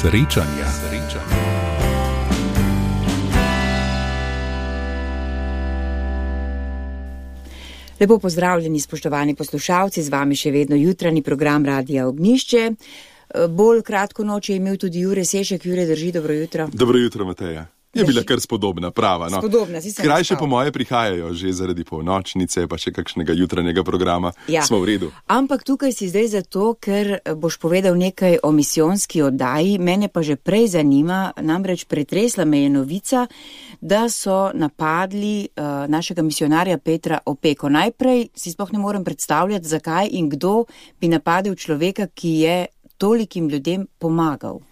Srečanja. Lepo pozdravljeni, spoštovani poslušalci, z vami še vedno jutranji program Radia Ognjišče. Bolj kratko noč je imel tudi Jure Sešek. Jure, drži, dobro jutro. Dobro jutro, Mateja. Je bila kar spodobna, prava. No. Spodobna, si sem Krajše po moje prihajajo že zaradi polnočnice, pa še kakšnega jutranjega programa. Ja. Smo v redu. Ampak tukaj si zdaj zato, ker boš povedal nekaj o misijonski oddaji. Mene pa že prej zanima, namreč pretresla me je novica, da so napadli našega misionarja Petra Opeko. Najprej si sploh ne morem predstavljati, zakaj in kdo bi napadel človeka, ki je tolikim ljudem pomagal.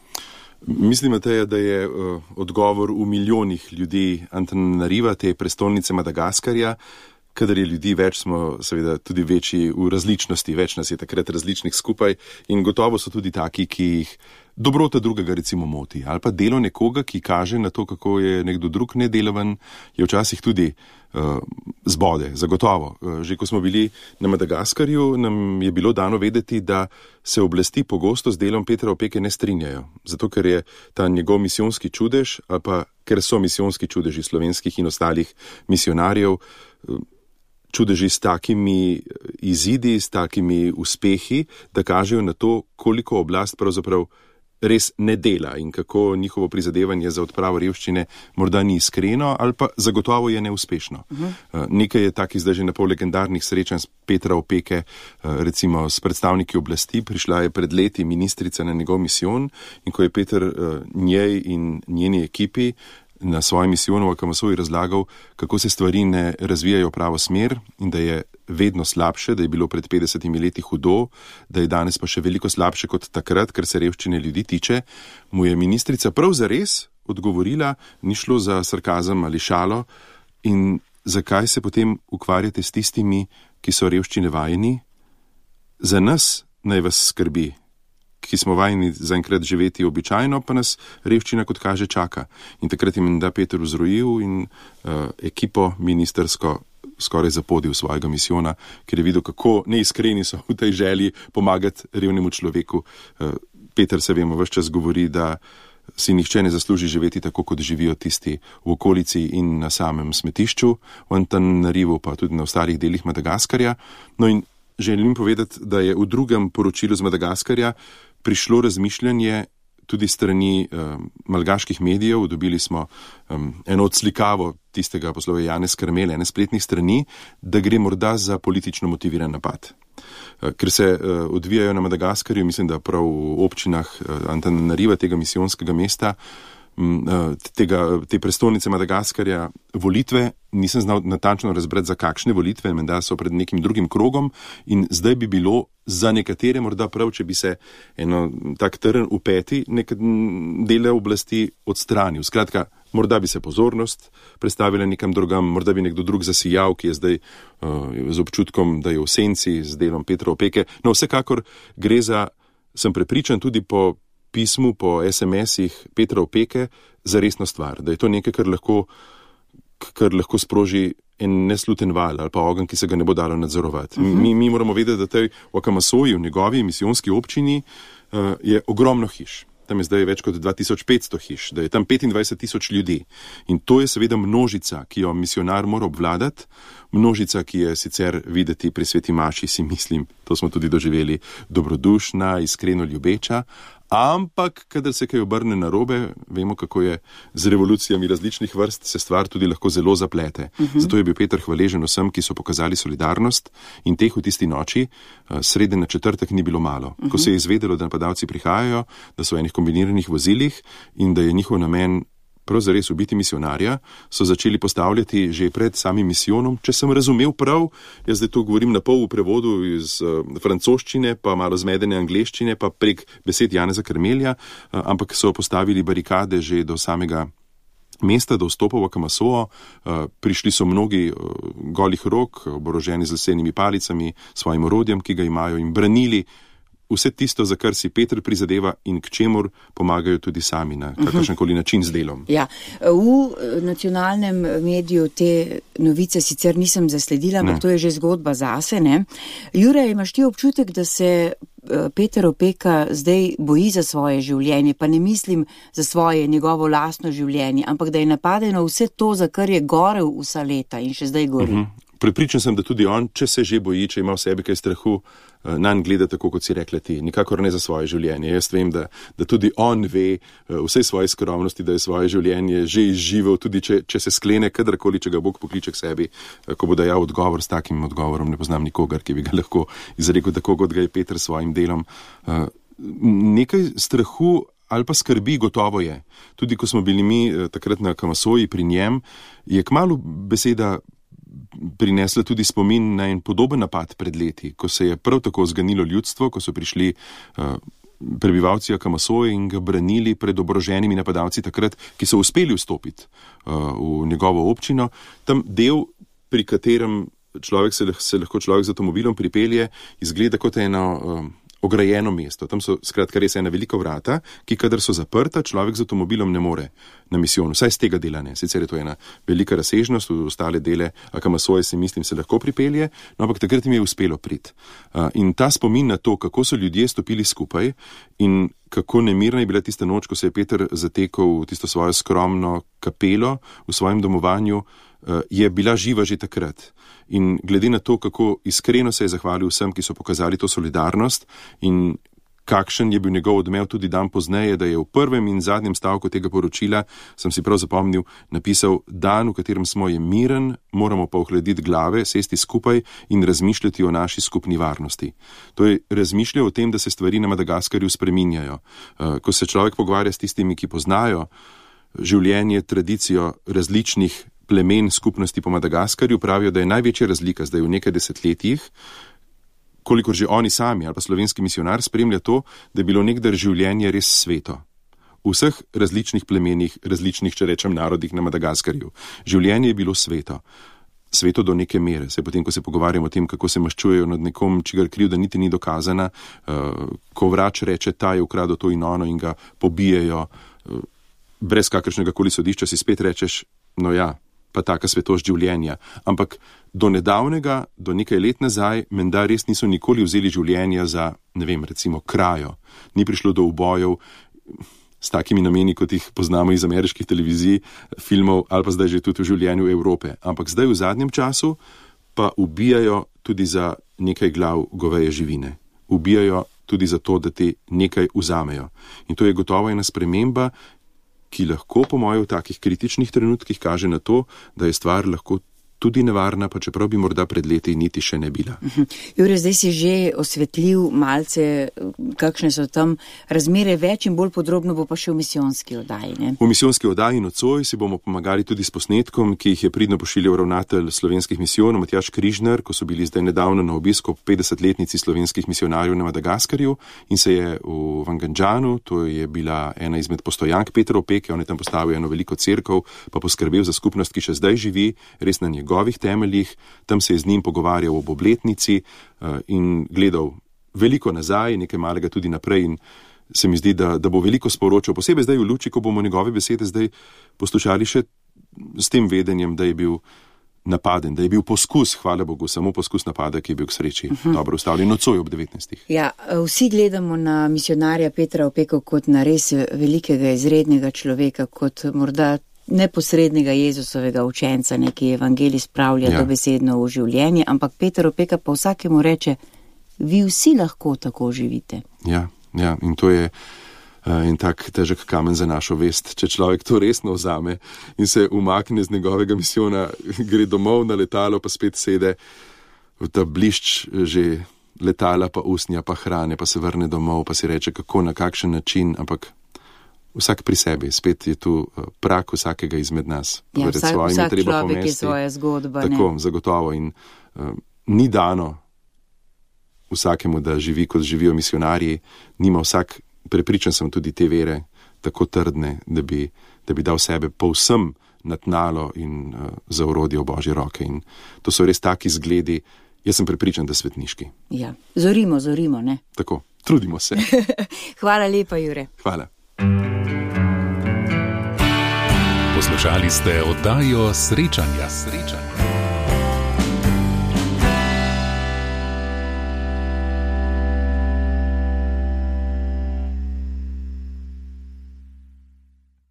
Mislim, Mateja, da je odgovor v milijonih ljudi Antananariva, te prestolnice Madagaskarja. Kadar je ljudi več, smo seveda tudi večji v različnosti, več nas je takrat različnih skupaj in gotovo so tudi taki, ki jih dobrota drugega recimo moti. Ali pa delo nekoga, ki kaže na to, kako je nekdo drug nedelovan, je včasih tudi zbode, zagotovo. Že ko smo bili na Madagaskarju, nam je bilo dano vedeti, da se oblasti pogosto z delom Petra Opeke ne strinjajo. Zato, ker je ta njegov misijonski čudež, ali pa ker so misijonski čudeži slovenskih in ostalih misionarjev, čudeži s takimi izidi, s takimi uspehi, da kažejo na to, koliko oblast pravzaprav res ne dela in kako njihovo prizadevanje za odpravo revščine morda ni iskreno ali pa zagotovo je neuspešno. Nekaj je takih zdaj že napol legendarnih srečanj s Petra Opeke, recimo s predstavniki oblasti. Prišla je pred leti ministrica na njegov misijon in ko je Peter njej in njeni ekipi na svojem misijonu v Akamasoji razlagal, kako se stvari ne razvijajo v pravo smer in da je vedno slabše, da je bilo pred 50 leti hudo, da je danes pa še veliko slabše kot takrat, ker se revščine ljudi tiče, mu je ministrica prav zares odgovorila, ni šlo za sarkazem ali šalo, in zakaj se potem ukvarjate s tistimi, ki so revščine vajeni? Za nas naj vas skrbi, ki smo vajeni zaenkrat živeti običajno, pa nas revščina, kot kaže, čaka. In takrat je menda Peter vzrojil in ekipo ministersko skoraj zapodil svojega misijona, ker je videl, kako neiskreni so v tej želji pomagati revnemu človeku. Peter, se vemo, ves čas govori, da si nihče ne zasluži živeti tako, kot živijo tisti v okolici in na samem smetišču, v Antananarivu, pa tudi na ostalih delih Madagaskarja. No in želim povedati, da je v drugem poročilu z Madagaskarja prišlo razmišljanje tudi strani malgaških medijev. Dobili smo eno odslikavo tistega poslove Janez Karmel, ene spletnih strani, da gre morda za politično motiviran napad. Ker se odvijajo na Madagaskarju, mislim, da prav v občinah Antananariva, tega misijonskega mesta, te prestolnice Madagaskarja, volitve, nisem znal natančno razbrati, za kakšne volitve, menda so pred nekim drugim krogom in zdaj bi bilo za nekatere morda prav, če bi se eno tak trn v peti neke dele oblasti odstranil. Skratka, morda bi se pozornost prestavila nekam drugam, morda bi nekdo drug zasijal, ki je zdaj z občutkom, da je v senci z delom Petra Opeke. No, vsekakor gre za, sem prepričan tudi po pismu, po SMS-ih Petra Opeke, za resno stvar, da je to nekaj, kar lahko sproži en nesluten val ali pa ogenj, ki se ga ne bo dalo nadzorovati. Mi moramo vedeti, da v Akamasoji, v njegovi misijonski občini, je ogromno hiš. Tam je zdaj več kot 2500 hiš, da je tam 25,000 ljudi. In to je seveda množica, ki jo misionar mora obvladati, množica, ki je sicer videti pri sveti maši, si mislim, to smo tudi doživeli, dobrodušna, iskreno ljubeča, ampak kadar se kaj obrne narobe, vemo, kako je z revolucijami različnih vrst, se stvar tudi lahko zelo zaplete. Zato je bil Peter hvaležen vsem, ki so pokazali solidarnost, in teh v tisti noči, srede na četrtek, ni bilo malo. Ko se je izvedelo, da napadalci prihajajo, da so v enih kombiniranih vozilih in da je njihov namen prav zares ubiti misionarja, so začeli postavljati že pred samim misijonom. Če sem razumel prav, jaz zdaj to govorim na pol v prevodu iz francoščine, pa malo zmedene angleščine, pa prek besed Janeza Karmelja, ampak so postavili barikade že do samega mesta, do vstopa v Akamasojo. Prišli so mnogi golih rok, oboroženi z lesenimi palicami, svojim orodjem, ki ga imajo, in branili vse tisto, za kar si Peter prizadeva in k čemur pomagajo tudi sami na kakršenkoli način z delom. Ja, v nacionalnem mediju te novice sicer nisem zasledila, ampak to je že zgodba zase, ne? Jure, imaš ti občutek, da se Peter Opeka zdaj boji za svoje življenje, pa ne mislim za svoje, njegovo lastno življenje, ampak da je napadeno vse to, za kar je gorel vsa leta in še zdaj gori. Prepričan sem, da tudi on, če se že boji, če ima v sebi kaj strahu, nanj gleda tako, kot si rekla ti, nikakor ne za svoje življenje. Jaz vem, da tudi on ve vsej svoje skromnosti, da je svoje življenje že izživel, tudi če se sklene kadarkoli, če ga Bog pokliče k sebi, ko bo dajal odgovor. S takim odgovorom ne poznam nikogar, ki bi ga lahko izrekel tako, kot ga je Peter s svojim delom. Nekaj strahu ali pa skrbi gotovo je. Tudi ko smo bili mi takrat na Kamasoji pri njem, je kmalu beseda prinesla tudi spomin na en podoben napad pred leti, ko se je prav tako zganilo ljudstvo, ko so prišli prebivalci Kamasoje in ga branili pred oboroženimi napadalci takrat, ki so uspeli vstopiti v njegovo občino. Tam del, pri katerem se lahko človek z avtomobilom pripelje, izgleda kot eno ograjeno mesto. Tam so skratka res ena velika vrata, ki kadar so zaprta, človek z avtomobilom ne more na misijon. Vsaj z tega dela ne. Sicer je to ena velika razsežnost, v ostale dele Kamasoje se lahko pripelje, no, ampak takrat jim je uspelo priti. In ta spomin na to, kako so ljudje stopili skupaj in kako nemirna je bila tista noč, ko se je Peter zatekal v tisto svojo skromno kapelo v svojem domovanju, je bila živa že takrat. In glede na to, kako iskreno se je zahvalil vsem, ki so pokazali to solidarnost in kakšen je bil njegov odmev tudi dan pozneje, da je v prvem in zadnjem stavku tega poročila, sem si prav zapomnil, napisal: dan, v katerem smo, je miren, moramo pa ohladiti glave, sesti skupaj in razmišljati o naši skupni varnosti. To je razmišljal o tem, da se stvari na Madagaskarju spreminjajo. Ko se človek pogovarja s tistimi, ki poznajo življenje, tradicijo različnih plemen skupnosti po Madagaskarju, pravijo, da je največja razlika zdaj v nekaj desetletjih, kolikor že oni sami ali pa slovenski misionar spremlja to, da je bilo nekdaj življenje res sveto. V vseh različnih plemenih, različnih, če rečem, narodih na Madagaskarju. Življenje je bilo sveto. Sveto do neke mere. Se potem, ko se pogovarjamo o tem, kako se maščujejo nad nekom, čigar krivda niti ni dokazana, ko vrač reče, ta je ukradel to in ono in ga pobijejo, brez kakršnega koli sodišča si spet rečeš, no ja, pa taka svetost življenja. Ampak do nedavnega, do nekaj let nazaj, menda res niso nikoli vzeli življenja za, ne vem, recimo krajo. Ni prišlo do ubojev s takimi nameni, kot jih poznamo iz ameriških televizij, filmov ali pa zdaj že tudi v življenju Evrope. Ampak zdaj v zadnjem času pa ubijajo tudi za nekaj glav goveje živine. Ubijajo tudi za to, da ti nekaj vzamejo. In to je gotovo ena sprememba, ki lahko, po mojem, v takih kritičnih trenutkih kaže na to, da je stvar lahko tudi nevarna, pa čeprav bi morda pred leti niti še ne bila. Jure, zdaj si že osvetlil malce, kakšne so tam razmere, več in bolj podrobno bo pa še v misijonski oddaji, ne? V misijonski oddaji nocoj si bomo pomagali tudi s posnetkom, ki jih je pridno pošiljal ravnatelj slovenskih misijonov Matjaž Križnar, ko so bili zdaj nedavno na obisku 50-letnici slovenskih misionarjev na Madagaskarju in se je v Vangandžanu, to je bila ena izmed postojank Petra Opeke, on je tam postavil eno veliko cerkev, pa poskrbel za skupnost, ki še zdaj živi, res na njegovih temeljih, tam se je z njim pogovarjal ob obletnici in gledal veliko nazaj, nekaj malega tudi naprej in se mi zdi, da bo veliko sporočal, posebej zdaj v luči, ko bomo njegove besede zdaj poslušali še s tem vedenjem, da je bil napaden, da je bil poskus, hvala Bogu, samo poskus napada, ki je bil k sreči dobro ustavljen nocoj ob 19. Ja, vsi gledamo na misionarja Petra Opeko kot na res velikega, izrednega človeka, kot morda neposrednega Jezusovega učenca, neki evangelij spravlja dobesedno v življenje, ampak Peter Opeka pa vsakemu reče, vi vsi lahko tako živite. Ja, in to je en tak težek kamen za našo vest. Če človek to resno vzame in se umakne z njegovega misijona, gre domov na letalo, pa spet sede v ta blišč že letala, pa usnja, pa hrane, pa se vrne domov, pa si reče, kako, na kakšen način, ampak vsak pri sebi, spet je tu prak vsakega izmed nas. Ja, vsak človek je svoja zgodba. Tako, zagotovo. In ni dano vsakemu, da živi, kot živijo misionarji. Nima vsak, prepričan sem, tudi te vere tako trdne, da bi dal sebe povsem na tnalo in za orodje v Božje roke. In to so res taki zgledi, jaz sem prepričan, da svetniški. Ja, zorimo, ne? Tako, trudimo se. Hvala lepa, Jure. Hvala. Poslušali ste oddajo Srečanja.